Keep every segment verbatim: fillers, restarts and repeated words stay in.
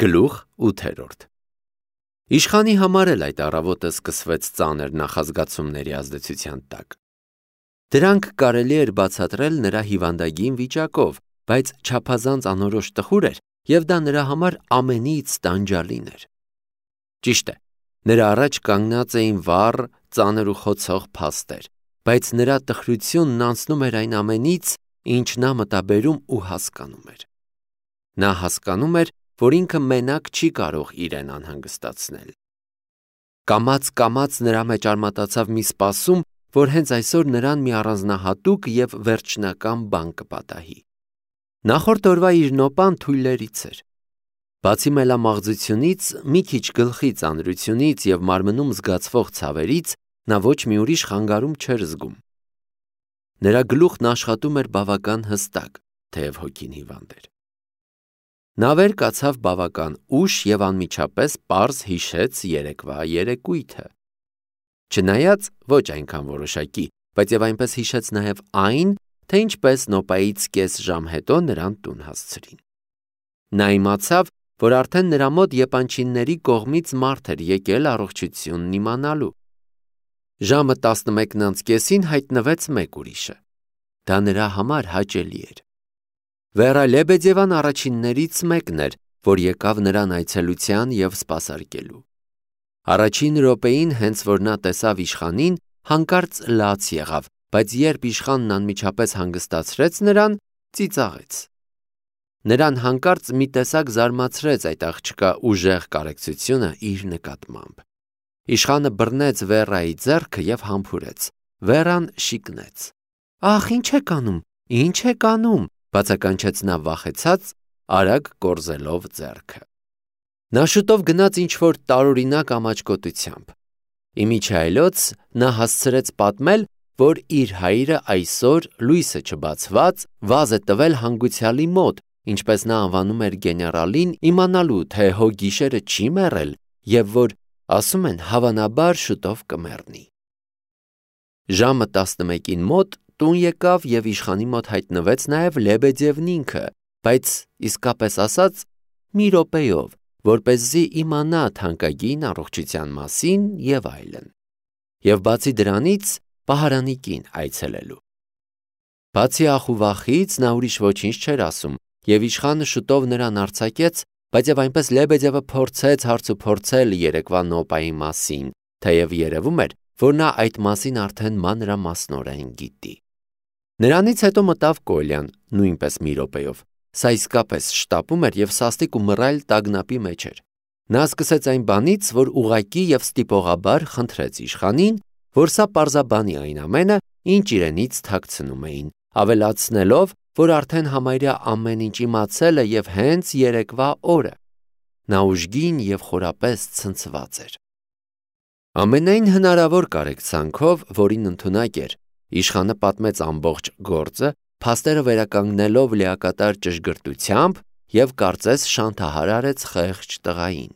Գլուխ ութերորդ Իշխանի համար էլ այդ առավոտը սկսվեց ծանր նախազգացումների ազդեցության տակ։ Դրանք կարելի էր բացատրել նրա հիվանդագին վիճակով, բայց չափազանց անորոշ տխուր էր, և դա նրա համար ամենից տանջալին էր։ Ճիշտ է, նրա առաջ կանգնած էին վառ, ծանր ու խոցող փաստեր, բայց նրա տխրությունն անցնում էր այն ամենից, ինչ նա մտաբերում ու հասկանում էր։ Նա հասկանում էր, որ ինքը մենակ չի կարող իրեն անհանգստացնել։ Կամաց-կամաց նրա մեջ արմատացավ մի սպասում, որ հենց այսօր նրան մի առանձնահատուկ և վերջնական բան կպատահի։ Նախորդ օրվա իր նոպան թույլերից էր։ Բացի մելամաղձությունից, մի քիչ գլխի ծանրությունից և մարմնում զգացվող ցավերից, նա ոչ մի ուրիշ խանգարում չէր զգում։ Նրա գլուխն աշխատում էր բավական հստակ, թեև հոգին հիվանդ էր։ Նա վեր կացավ բավական ուշ և անմիջապես պարզ հիշեց երեկվա երեկույթը։ Չնայած ոչ այնքան որոշակի, բայց և այնպես հիշեց նաև այն, թե ինչպես նոպայից կես ժամ հետո նրան տուն հասցրին։ Նա իմացավ, որ արդեն նրա մոտ եպանչինների կողմից մարդ էր եկել առողջությունն իմանալու։ Ժամը տասնմեկն անց կեսին հայտնվեց մեկ ուրիշը։ Դա նրա համար հաճելի էր։ Վերա Լեբեդևան առաջիններից մեկն էր, որ եկավ նրան այցելության և սպասարկելու։ Առաջին րոպեին, հենց որ նա տեսավ իշխանին, հանկարծ լաց եղավ, բայց երբ իշխանն անմիջապես հանգստացրեց նրան, ծիծաղեց։ Նրան հանկարծ մի տեսակ զարմացրեց այդ աղջկա ուժեղ կարեկցությունը իր նկատմամբ։ Իշխանը բռնեց Վերայի ձեռքը և համբուրեց։ Վերան շիկնեց։ Ախ, ինչ եք անում, ինչ եք անում, բացականչեց նա վախեցած, արագ կորզելով ձեռքը։ Նա շուտով գնաց ինչ-որ տարօրինակ ամաչկոտությամբ։ Իմիջիայլոց նա հասցրեց պատմել, որ իր հայրը այսօր, լույսը չբացված, վազ է տվել հանգուցյալի մոտ, ինչպես նա անվանում էր գեներալին, իմանալու, թե հո գիշերը չի մեռել, և որ, ասում են, հավանաբար շուտով կմեռնի։ Ժամը տասնմեկին մոտ տուն եկավ և իշխանի մոտ հայտնվեց նաև Լեբեդևն ինքը, բայց իսկապես ասած, մի րոպեով, որպեսզի իմանա թանկագին առողջության մասին և այլն։ Եվ բացի դրանից, պահարանի կին այցելելու։ Բացի ախ ու վախից, նա ուրիշ ոչինչ չէր ասում, և իշխանը շուտով նրան արձակեց, բայց և այնպես Լեբեդևը փորձեց հարցուփորձել երեկվա նոպայի մասին, թեև երևում էր, որ նա այդ մասին արդեն մանրամասնորեն գիտի։ Նրանից հետո մտավ Կոլյան, նույնպես մի րոպեով։ Սա իսկապես շտապում էր և սաստիկ ու մռայլ տագնապի մեջ էր։ Նա սկսեց այն բանից, որ ուղղակի և ստիպողաբար խնդրեց իշխանին, որ սա պարզաբանի այն ամենը, ինչ իրենից թաքցնում էին, ավելացնելով, որ արդեն համարյա ամեն ինչ իմացել է և հենց երեկվա օրը։ Նա ուժգին և խորապես ցնցված էր։ Ամենայն հնարավոր կարեկցանքով, որին ընդունակ էր, իշխանը պատմեց ամբողջ գործը, փաստերը վերականգնելով լիակատար ճշգրտությամբ և կարծես շանթահար արեց խեղճ տղային։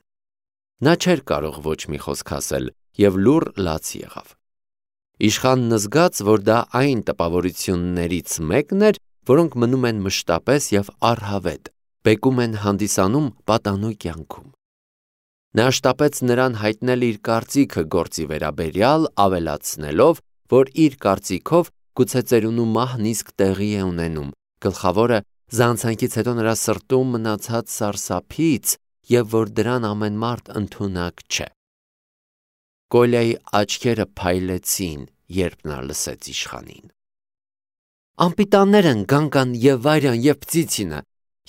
Նա չէր կարող ոչ մի խոսք ասել և լուռ լաց եղավ։ Իշխանն զգաց, որ դա այն տպավորություններից մեկն էր, որոնք մնում են մշտապես և առհավետ, բեկում են հանդիսանում պատանու կյանքում։ Նա շտապեց նրան հայտնել իր կարծիքը գործի վերաբերյալ, ավելացնելով, որ իր կարծիքով գուցե ծերունու մահն իսկ տեղի է ունենում, գլխավորը զանցանքից հետո նրա սրտում մնացած սարսափից և որ դրան ամեն մարդ ընդունակ չէ։ Կոլյայի աչքերը փայլեցին, երբ նա լսեց իշխանին։ Անպիտաններ են Գանգան և Վարյան և Պտիցինը,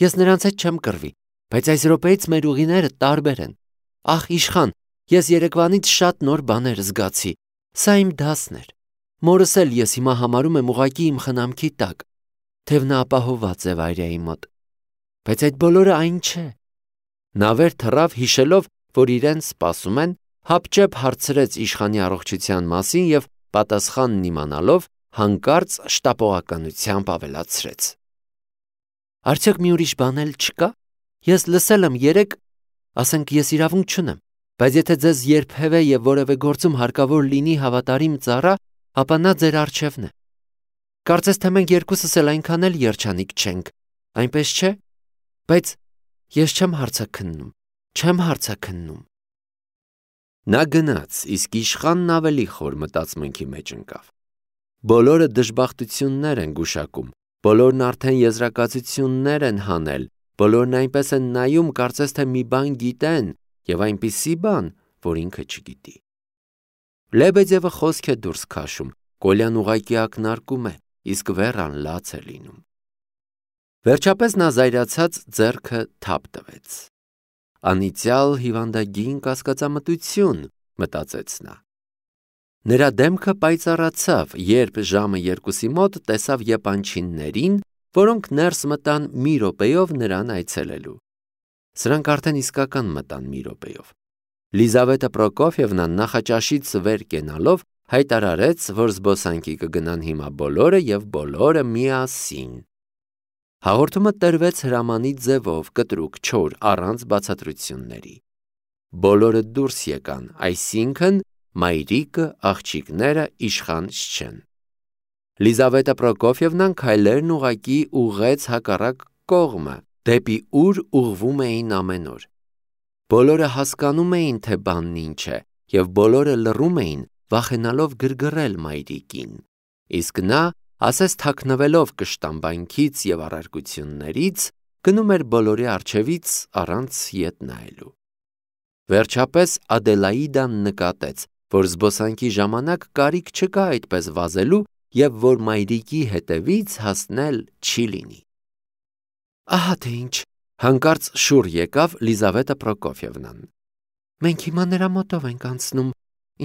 ես նրանց հետ չեմ կռվի, բայց այս րոպեից մեր ուղիները տարբեր են։ Ախ, իշխան, ես երեկվանից շատ նոր բաներ զգացի, սա իմ դասն էր։ Մորս էլ ես հիմա համարում եմ ուղղակի իմ խնամքի տակ, թեև նա ապահովված է Վարյայի մոտ։ Բայց այդ բոլորը այն չէ։ Նա վեր թռավ, հիշելով, որ իրեն սպասում են, հապճեպ հարցրեց իշխանի առողջության մասին և պատասխանն իմանալով, հանկարծ շտապողականությամբ ավելացրեց. Արդյոք մի ուրիշ բան էլ չկա։ Ես լսել եմ երեկ, ասենք ես իրավունք չունեմ, բայց եթե ձեզ երբևէ և որևէ գործում հարկավոր լինի հավատարիմ ծառա, ապա նա ձեր առջևն է։ Կարծես թե մենք երկուսս էլ այնքան էլ երջանիկ չենք, այնպես չէ։ Բայց ես չեմ հարցաքննում, չեմ հարցաքննում։ Նա գնաց, իսկ իշխանն ավելի խոր մտածմունքի մեջ ընկավ։ Բոլորը դժբախտություններ են գուշակում, բոլորն արդեն եզրակացություններ են հանել, բոլորն այնպես են նայում, կարծես թե մի բան գիտեն, եւ այնպիսի բան, որ ինքը չգիտի։ Լեբեդևը խոսք է դուրս քաշում, Կոլյան ուղղակի ակնարկում է, իսկ Վերան լաց է լինում։ Վերջապես նա զայրացած ձեռքը թափ տվեց։ Անիծյալ հիվանդագին կասկածամտություն, մտածեց նա։ Նրա դեմքը պայծառացավ, երբ ժամը երկուսի մոտ տեսավ եպանչիններին, որոնք ներս մտան մի րոպեով նրան այցելելու։ Սրանք արդեն իսկական մտան մի րոպեով։ Լիզավետա Պրոկոֆիևնա նախաճաշից վեր կենալով հայտարարեց, որ զբոսանքի կգնան հիմա բոլորը եւ բոլորը միասին։ Հաղորդումը տրվեց հրամանի ձևով, կտրուկ, չոր, առանց բացատրությունների։ Բոլորը դուրս եկան, այսինքն մայրիկը, աղջիկները, իշխան Շչեն։ Լիզավետա Պրոկոֆիևնան քայլերն ուղակի ուղղեց հակառակ կողմը, դեպի ուր ուղղվում էին ամեն օր։ Բոլորը հասկանում էին, թե բանն ինչ է, եւ բոլորը լռում էին, վախենալով գրգռել մայրիկին, իսկ նա, ասես թաքնվելով կշտամբանքից եւ առարկություններից, գնում էր բոլորի առջևից առանց ետ նայելու։ Վերջապես Ադելաիդան նկատեց, որ զբոսանքի ժամանակ կարիք չկա այդպես վազելու եւ որ մայրիկի հետևից հասնել չի լինի։ Ահա թե ինչ, հանկարծ շուռ եկավ Լիզավետա Պրոկոֆիևնան։ Մենք հիմա նրա մոտով ենք անցնում,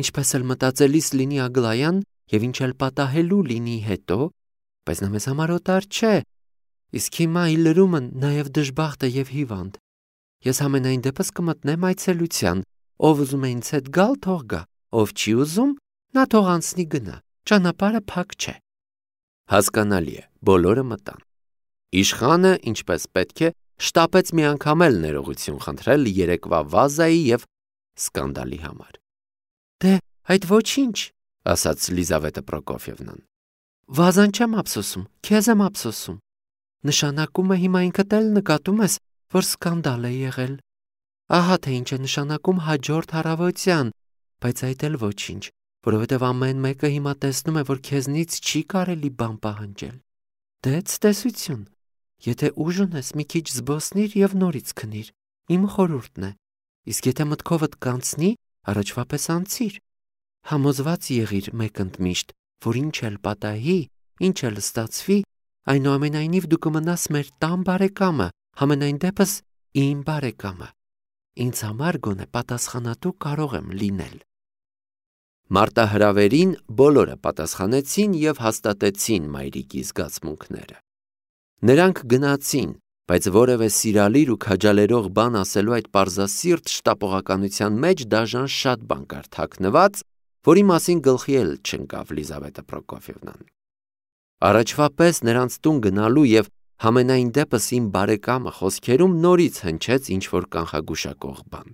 ինչպես էլ մտածելիս լինի Ագլայան եւ ինչ էլ պատահելու լինի հետո, բայց նա մեզ համար օտար չէ, իսկ հիմա ի լրումը նաեւ դժբախտ է եւ հիվանդ։ Ես ամենայն դեպս կմտնեմ այցելության, ով ուզում է ինձ հետ գալ, թող գա, ով չի ուզում, նա թող անցնի գնա, ճանապարհը փակ չէ։ Հասկանալի է, բոլորը մտան։ Իշխանը, ինչպես պետք է, շտապեց մի անգամ էլ ներողություն խնդրել երեկվա վազայի եւ սկանդալի համար։ Դե, այդ ոչինչ, ասաց Լիզավետա Պրոկոֆիևնան։ Վազան չեմ ափսոսում, քեզ եմ ափսոսում։ Նշանակում է հիմա ինքդ էլ նկատում ես, որ սկանդալ է եղել։ Ահա թե ինչ է նշանակում հաջորդ առավոտյան, բայց այդ էլ ոչինչ, որովհետև ամեն մեկը հիմա տեսնում է, որ քեզնից չի կարելի բան պահանջել։ Դե ցտեսություն։ Եթե ուժ ունես, մի քիչ զբոսնիր եւ նորից քնիր։ Իմ խորհուրդն է։ Իսկ եթե մտքովդ կանցնի, առաջվա պես անցիր։ Համոզված եղիր մեկընդմիշտ, որ ինչ էլ պատահի, ինչ էլ ստացվի, այնուամենայնիվ դու կմնաս մեր տան բարեկամը, համենայն դեպս իմ բարեկամը։ Ինձ համար գոնե պատասխանատու կարող եմ լինել։ Մարտահրավերին բոլորը պատասխանեցին եւ հաստատեցին մայրիկի զգացմունքները։ Նրանք գնացին, բայց որևէ սիրալիր ու քաջալերող բան ասելու այդ պարզասիրտ շտապողականության մեջ դաժան շատ բան կար թաքնված, որի մասին գլխի էլ չընկավ Լիզավետա Պրոկոֆիևնան։ Առաջվա պես նրանց տուն գնալու եւ համենայն դեպս իմ բարեկամը խոսքերում նորից հնչեց ինչ-որ կանխագուշակող բան։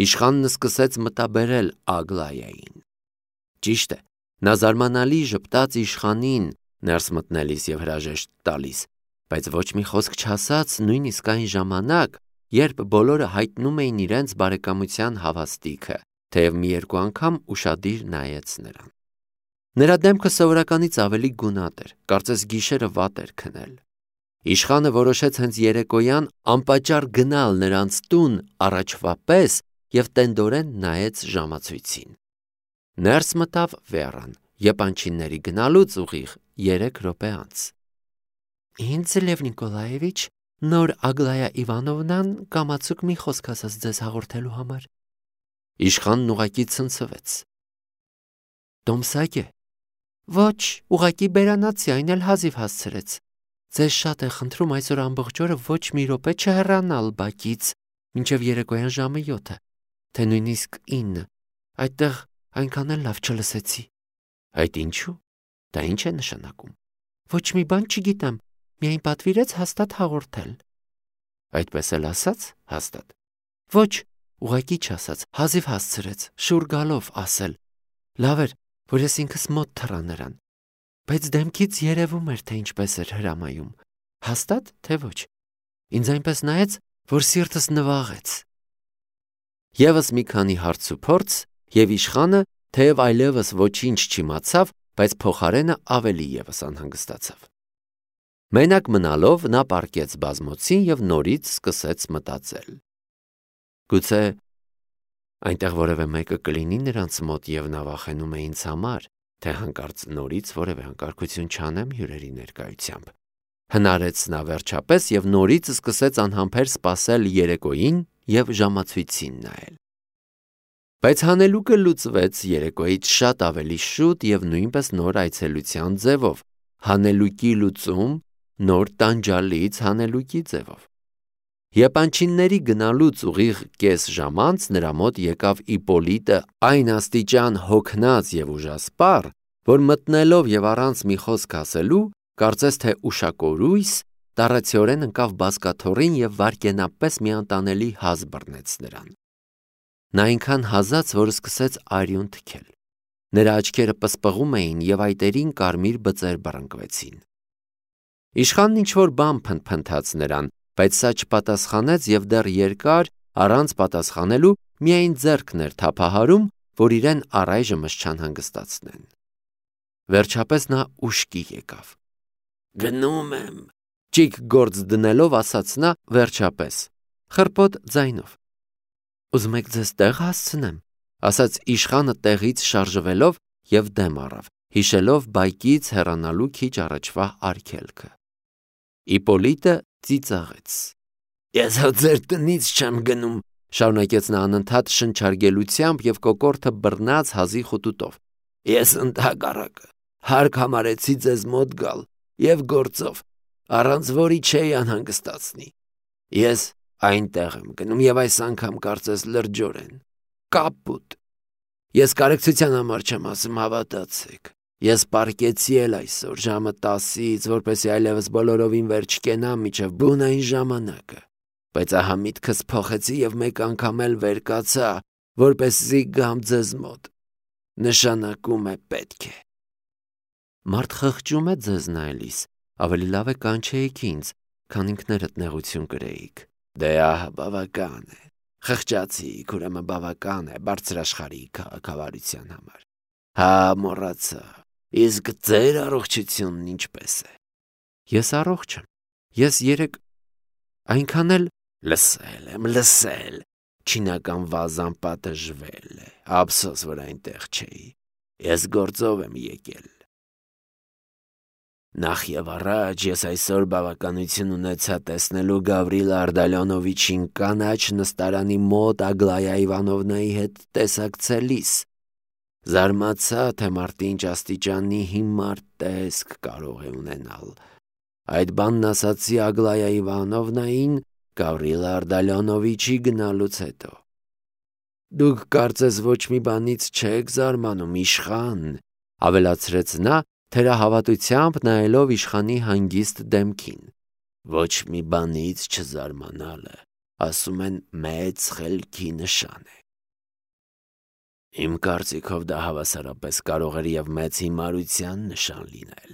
Իշխանն սկսեց մտաբերել Ագլայային։ Ճիշտ է, նա զարմանալի ժպտաց իշխանին ներս մտնելիս եւ հրաժեշտ տալիս, բայց ոչ մի խոսք չասաց նույնիսկ այն ժամանակ, երբ բոլորը հայտնում էին իրենց բարեկամության հավաստիքը, թեև մի երկու անգամ ուշադիր նայեց նրան։ Նրա դեմքը սովորականից ավելի գունատ էր, կարծես գիշերը վատ էր քնել։ Իշխանը որոշեց հենց երեկոյան անպատճառ գնալ նրանց տուն առաջվա պես եւ տենդորեն նայեց ժամացույցին։ Ներս մտավ Վերան, եպանչինների գնալուց ուղիղ երեք րոպե անց։ Ինձ Լև Նիկոլաևիչ, նոր Ագլայա Իվանովնան կամացուկ մի խոսք ասաց ձեզ հաղորդելու համար։ Իշխանն ուղակի ցնցվեց։ Տոմսակ է։ Ոչ, ուղակի բերանացի, այն էլ հազիվ հասցրեց։ Ձեզ շատ է խնդրում այսօր ամբողջ օրը ոչ մի րոպե չհեռանալ բակից, մինչև երեկոյան ժամը յոթը, թե նույնիսկ ինը։ Այդտեղ այնքան էլ լավ չլսեցի։ Այդ ինչու՞։ Դա ինչ է նշանակում։ Ոչ մի բան չգիտեմ, միայն պատվիրեց հաստատ հաղորդել։ Այդպես էլ ասաց, հաստատ։ Ոչ, ուղակի չասաց, հազիվ հասցրեց, շուռ գալով ասել։ Լավ էր, որ ես ինքս մոտ թռա նրան, բայց դեմքից երևում էր, թե ինչպես էր հրամայում, հաստատ, թե ոչ։ Ինձ այնպես նայեց, որ սիրտս նվաղեց։ Եվս մի քանի հարց ու փորձ, եւ իշխանը, թեև այլևս ոչինչ չիմացավ, բայց փոխարենը ավելի եւս անհանգստացավ։ Մենակ մնալով նա պառկեց բազմոցին եւ նորից սկսեց մտածել։ Գուցե այնտեղ որևէ մեկը կլինի նրանց մոտ եւ նա վախենում է ինձ համար, թե հանկարծ նորից որևէ անկարգություն չանեմ հյուրերի ներկայությամբ։ Հնարեց նա վերջապես եւ նորից սկսեց անհամբեր սպասել երեկոյին եւ ժամացույցին նայել։ Բայց հանելուկը լուծվեց երեկոյից շատ ավելի շուտ եւ նույնպես նոր այցելության ձևով, հանելուկի լուծում նոր տանջալից հանելուկի ձևով։ Եպանչինների գնալուց ուղիղ կես ժամ անց նրա մոտ եկավ Իպոլիտը այն աստիճան հոգնած եւ ուժասպառ, որ մտնելով եւ առանց մի խոսք ասելու, կարծես թե ուշակորույս, տառացիորեն ընկավ բազկաթոռին եւ վայրկենապես մի անտանելի հազ բռնեց նրան։ Նա այնքան հազաց, որ սկսեց արյուն թքել։ Նրա աչքերը պսպղում էին եւ այտերին կարմիր բծեր բռնկվեցին։ Իշխանն ինչ-որ բան փնթփնթաց նրան, բայց սա չպատասխանեց եւ դեռ երկար առանց պատասխանելու միայն ձեռքն էր թափահարում, որ իրեն առայժմս չանհանգստացնեն։ Վերջապես նա ուշքի եկավ։ Գնում եմ, ճիգ գործ դնելով ասաց նա վերջապես, խռպոտ ձայնով։ Ուզում եք ձեզ տեղ հասցնեմ, ասաց իշխանը տեղից շարժվելով եւ դեմ առավ, հիշելով բայկից հեռանալու քիչ առաջվա արգելքը։ Իպոլիտը ծիծաղեց։ Ես հա ձեր տնից չեմ գնում, շարունակեց նա անընդհատ շնչարգելությամբ եւ կոկորդը բռնած հազի խուտուտով։ Ես ընդհակառակը հարկ համարեցի ձեզ մոտ գալ եւ գործով, առանց որի չէի անհանգստացնի։ Ես այնտեղ եմ գնում եւ այս անգամ կարծես լրջորեն։ Կապուտ։ Ես կարեկցության համար չեմ ասում, հավատացեք։ Ես պարկեցի էլ այսօր ժամը տասից, որպեսզի այլևս բոլորովին վերջ կենամ միջև բունային ժամանակը, բայց ահա միտքս փոխեցի եւ մեկ անգամ էլ վեր կացա, որպեսզի գամ ձեզ մոտ։ Նշանակում է պետք է։ Մարդ խղճում է ձեզ նայելիս, ավելի լավ է կանչեիք ինձ, քան ինքներդ նեղություն կրեիք։ Դե ահա բավական է։ Խղճացիք, ուրեմն բավական է բարձրաշխարհի քաղաքավարության համար։ Հա, մոռացա։ Իսկ ձեր առողջությունն ինչպես է։ Ես առողջ եմ։ Ես երեք այնքան էլ լսել եմ, լսել։ Չինական վազան պատժվել է։ Ափսոս, որ այնտեղ չէի։ Ես գործով եմ եկել։ Նախ եւ առաջ ես այսօր բավականություն ունեցա տեսնելու Գավրիլ Արդալյոնովիչին կանաչ նստարանի մոտ Ագլայա Իվանովնայի հետ տեսակցելիս։ Զարմացա, թե մարդը ինչ աստիճանի հիմար տեսք կարող է ունենալ։ Այդ բանն ասացի Ագլայա Իվանովնային Գավրիլ Արդալյոնովիչի գնալուց հետո։ Դուք կարծես ոչ մի բանից չեք զարմանում, իշխան, ավելացրեց նա, թերահավատությամբ նայելով իշխանի հանգիստ դեմքին։ Ոչ մի բանից չզարմանալը, ասում են, մեծ խելքի նշան է։ Իմ կարծիքով դա հավասարապես կարող էր եւ մեծ հիմարության նշան լինել։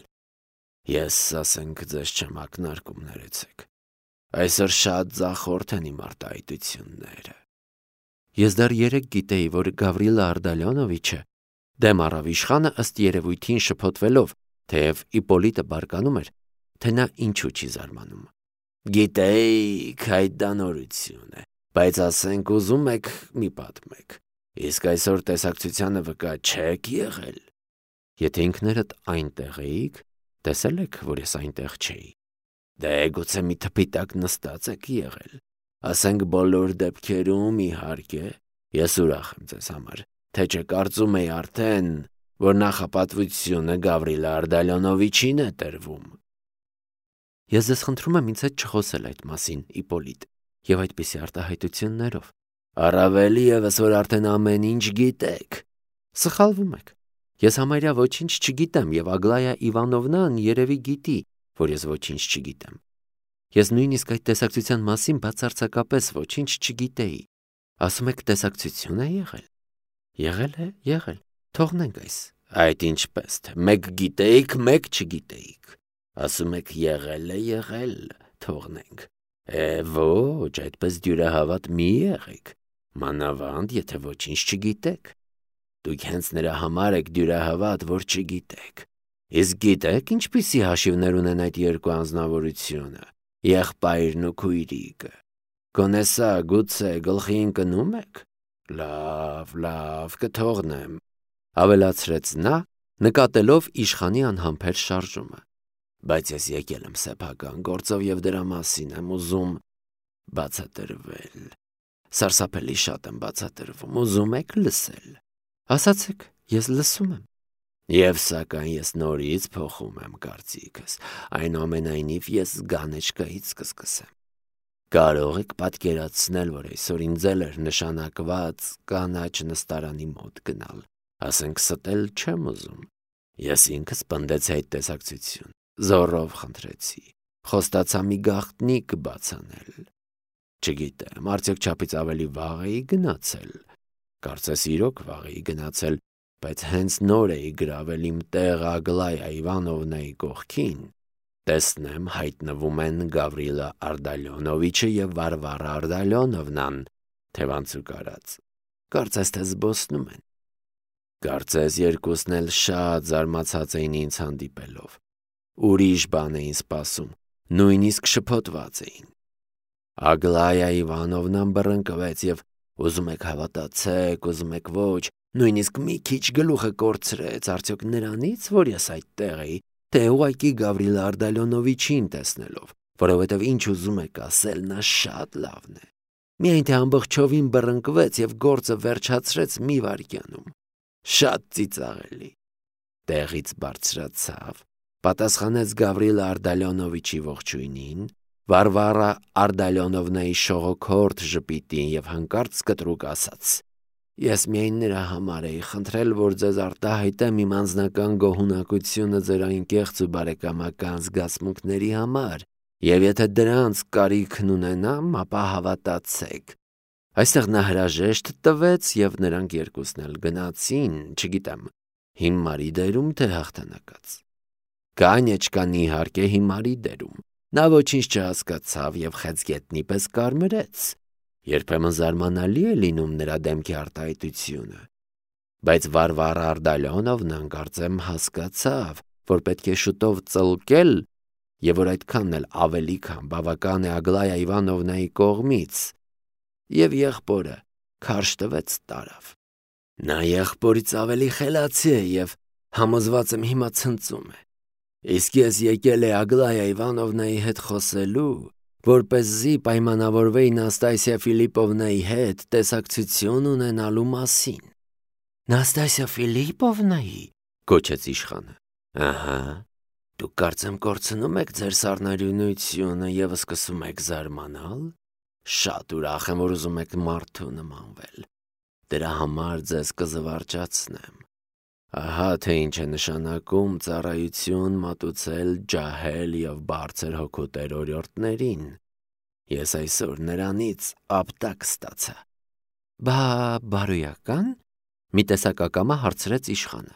Ես, ասենք, ձեզ չեմ ակնարկում, ներեցեք։ Այսօր շատ ձախորդ են իմ արտահայտությունները։ Ես դեռ երեք գիտեի, որ Գավրիլը Արդալյոնովիչը դեմ առավ իշխանը ըստ երևույթին շփոթվելով, թեև Իպոլիտը բարկանում էր, թե նա ինչու չի զարմանում։ Գիտեիք, այդ դա նորություն է, բայց ասենք ուզում եք մի պատմեք։ Իսկ այսօր տեսակցությանը վկա չեք եղել։ Եթե ինքներդ այնտեղ էիք, տեսել եք, որ ես այնտեղ չէի։ Դե գուցե մի թփի տակ նստած եք եղել։ Ասենք բոլոր դեպքերում, իհարկե, ես ուրախ եմ ձեզ համար, թե չկարծում էի արդեն, որ նախապատվությունը Գավրիլ Արդալյոնովիչին է տրվում։ Ես ձեզ խնդրում եմ ինձ հետ չխոսել այդ մասին, Իպոլիտ, եւ այդպիսի արտահայտություններով։ Առավել ևս, որ արդեն ամեն ինչ գիտեք։ Սխալվում եք։ Ես համարյա ոչինչ չգիտեմ եւ Ագլայա Իվանովնան երևի գիտի, որ ես ոչինչ չգիտեմ։ Ես նույնիսկ այդ տեսակցության մասին բացարձակապես ոչինչ չգիտեի։ Ասում եք տեսակցություն է եղել։ Եղել է, եղել։ Թողնենք այս։ Այդ ինչպես թե մեկ գիտեիք, մեկ չգիտեիք։ Ասում եք եղել է, եղել, թողնենք։ Է, ոչ, այդպես դյուրահավատ մի եղեք։ Մանավանդ, եթե ոչինչ չգիտեք։ Դուք հենց նրա համար եք դյուրահավատ, որ չգիտեք։ Իսկ գիտեք, ինչպիսի հաշիվներ ունեն այդ երկու անձնավորությունը, եղբայրն ու քույրիկը։ Գոնե սա գուցե գլխի ընկնո՞ւմ եք։ Լավ, լավ, կթողնեմ, ավելացրեց նա, նկատելով իշխանի անհամբեր շարժումը։ Բայց ես եկել եմ սեփական գործով և դրա մասին եմ ուզում բացատրվել։ Սարսափելի շատ եմ բացատրվում, ուզում եք լսել։ Ասացեք, ես լսում եմ։ Եվ սակայն ես նորից փոխում եմ կարծիքս, այնուամենայնիվ ես գանեչկայից կսկսեմ։ Կարող եք պատկերացնել, որ այսօր ինձ էլ էր նշանակված կանաչ նստարանի մոտ գնալ, ասենք ստել չեմ ուզում։ Ես ինքս պնդեցի այդ տեսակցություն, զոռով խնդրեցի, խոստացա մի գաղտնիք բացանել։ Չգիտեմ, արդյոք չափից ավելի վաղ էի գնացել։ Կարծես իրոք վաղ էի գնացել, բայց հենց նոր էի գրավել իմ տեղ Ագլայա Իվանովնայի կողքին։ Տեսնեմ, հայտնվում են Գավրիլա Արտալյոնովիչը և Վարվարա Արտալյոնովնան, թևանցուկ արած։ Կարծես թե զբոսնում են։ Կարծես երկուսն էլ շատ զարմացած էին ինձ հանդիպելով։ Ուրիշ բան էին սպասում, նույնիսկ շփոթված էին։ Ագլայա Իվանովնան բռնկվեց և ուզում եք հավատացեք, ուզում եք ոչ, նույնիսկ մի քիչ գլուխը կորցրեց, արդյոք նրանից, որ ես այդտեղ էի, թե ուղղակի Գավրիլ Արտալյոնովիչին տեսնելով, որովհետև ինչ ուզում եք ասել, նա շատ լավն է։ Միայն թե ամբողջովին բռնկվեց և գործը վերջացրեց մի վայրկյանում։ Շատ ծիծաղելի։ Տեղից բարձրացավ, պատասխանեց Գավրիլ Արտալյոնովիչի ողջույնին, Վարվարա Արտալյոնովնայի շողոքորթ ժպիտին և հանկարծ կտրուկ ասաց. Ես միայն նրա համար էի խնդրել, որ ձեզ արտահայտեմ իմ անձնական գոհունակությունը ձեր այն կեղծ ու բարեկամական զգացմունքների համար, և եթե դրանց կարիքն ունենամ, ապա հավատացեք։ Այստեղ նա հրաժեշտ տվեց, և նրանք երկուսն էլ գնացին, չգիտեմ, հիմարի դերում թե հաղթանակած։ Կանեչկան իհարկե հիմարի դերում։ Նա ոչինչ չհասկացավ և խեցգետնի պես կարմրեց։ Երբեմն զարմանալի է լինում նրա դեմքի արտահայտությունը։ Բայց Վարվարա Արտալյոնովնան կարծեմ հասկացավ, որ պետք է շուտով ծլկել և որ այդքանն էլ ավելի քան բավական է Ագլայա Իվանովնայի կողմից, և եղբորը քարշ տվեց տարավ։ Նա եղբորից ավելի խելացի է և համոզված եմ հիմա ցնծում է։ Իսկ ես եկել էի Ագլայա Իվանովնայի հետ խոսելու, որպեսզի պայմանավորվեի Նաստասիա Ֆիլիպովնայի հետ տեսակցություն ունենալու մասին։ Նաստասիա Ֆիլիպովնայի, գոչեց իշխանը։ Ահա, դուք կարծեմ կորցնում եք ձեր սառնարյունությունը և սկսում եք զարմանալ։ Շատ ուրախ եմ, որ ուզում եք մարդու նմանվել։ Դրա համար ձեզ կզվարճացնեմ։ Ահա թե ինչ է նշանակում ծառայություն մատուցել ջահել և բարձր հոգուտեր օրիորդներին։ Ես այսօր նրանից ապտակ ստացա։ Բա բարոյական, մի տեսակ ակամա հարցրեց իշխանը։